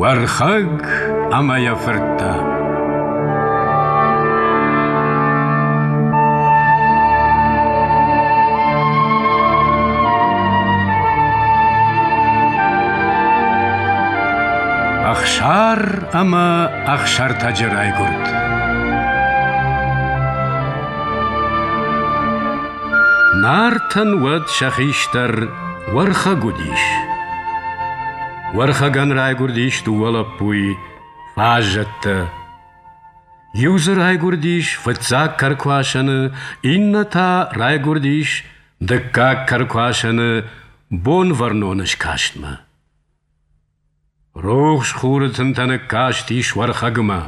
Уӕрхӕг ӕмӕ йӕ фырттӕ. Ӕхсар ӕмӕ Ӕхсӕртӕджы райгуырд. Нартӕн уӕд сӕ хистӕр Уӕрхӕг уыдис. Уӕрхӕгӕн райгуырдис дыууӕ лӕппуйы, фаззӕттӕ. Иу дзы райгуырдис фыццаг кӕркуасӕны, иннӕ та райгуырдис дыккаг кӕркуасӕны Бонвӕрноны скастмӕ. Рухс хуры тынтӕ ныккастис Уӕрхӕгмӕ.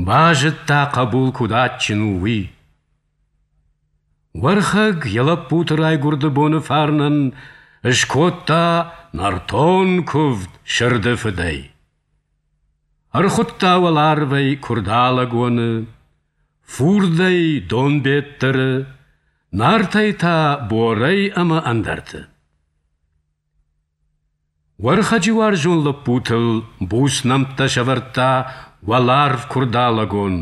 Базыдта, хъӕбул куыд адджын у, уый. Уӕрхӕг йӕ лӕппуты райгуырды боны фарнӕн скодта нӕртон куывд сырды фыдӕй. Ӕрхуыдта уӕларвӕй Куырдалӕгоны, фурдӕй Донбеттыры, Нартӕй та Борӕй ӕмӕ ӕндӕрты. Уӕрхӕджы уарзон лӕппутыл буц нӕмттӕ сӕвӕрдта уӕларв Куырдалӕгон,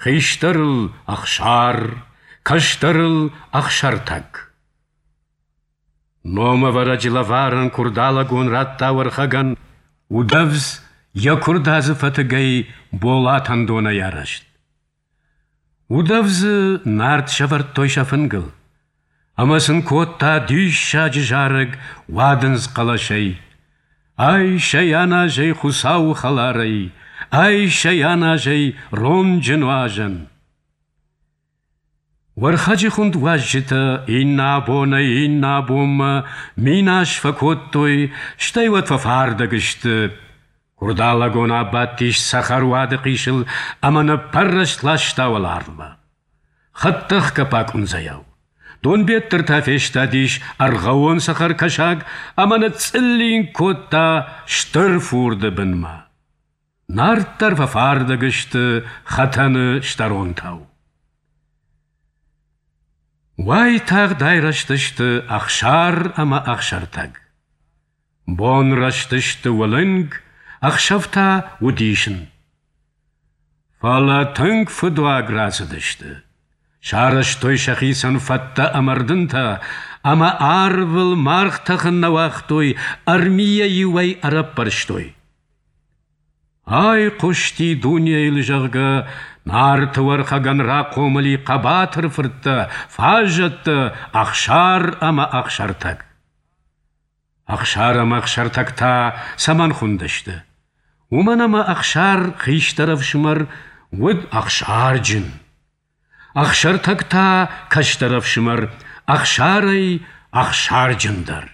хистӕрыл Ӕхсар, кӕстӕрыл Ӕхсӕртӕг. Номӕвӕрӕджы лӕварӕн Куырдалӕгон радта Уӕрхӕгӕн удӕвдз йӕ куырдадзы фӕтыгӕй болатӕндонӕй арӕзт. Удӕвдзы Нарт сӕвӕрдтой сӕ фынгыл, ӕмӕ сын кодта диссаджы зарӕг уадындз хъӕлӕсӕй: Айс ӕй, аназ ӕй Хуыцауы хӕларӕй, айс ӕй, аназ ӕй ронджы нуазӕн. Уӕрхӕджы хуынд уазджытӕ иннӕ абонӕй иннӕ абонмӕ минас фӕкодтой, стӕй уӕд фӕфардӕг сты. Куырдалӕгон абадтис цӕхӕр уады хъисыл ӕмӕ ныппӕррӕст ласта уӕларвмӕ. Хӕдтӕхгӕ пакъуындзӕйау. Донбеттыр та фестадис ӕргъӕуон цӕхӕр кӕсаг ӕмӕ ныцъцъыллинг кодта стыр фурды бынмӕ. Нарт дӕр фӕфардӕг сты хӕтӕны стӕронтау. Уайтагъд айрӕзтысты Ӕхсар ӕмӕ Ӕхсӕртӕг. Бон рӕзтысты уылынг, ӕхсӕв та уыдисн. Фӕлӕ тынг фыдуаг рацыдысты. Сарӕзтой сӕхицӕн фӕттӕ ӕмӕ рдынтӕ, ӕмӕ арвыл маргъ тӕхын нӕ уагътой, ӕрмийӕ-иу ӕй ӕрӕппӕрстой. Айхъуысти дунейыл, зӕгъгӕ, Нарты Уӕрхӕгӕн рахъомыл и хъӕбатыр фырттӕ, фаззӕттӕ Ӕхсар ӕмӕ Ӕхсӕртӕг. Ӕхсар ӕмӕ Ӕхсӕртӕг та цӕмӕн хуындысты? Уымӕн ӕмӕ Ӕхсар хистӕр ӕфсымӕр уыд ӕхсарджын. Ӕхсӕртӕг та кӕстӕр ӕфсымӕр Ӕхсарӕй ӕхсарджындӕр.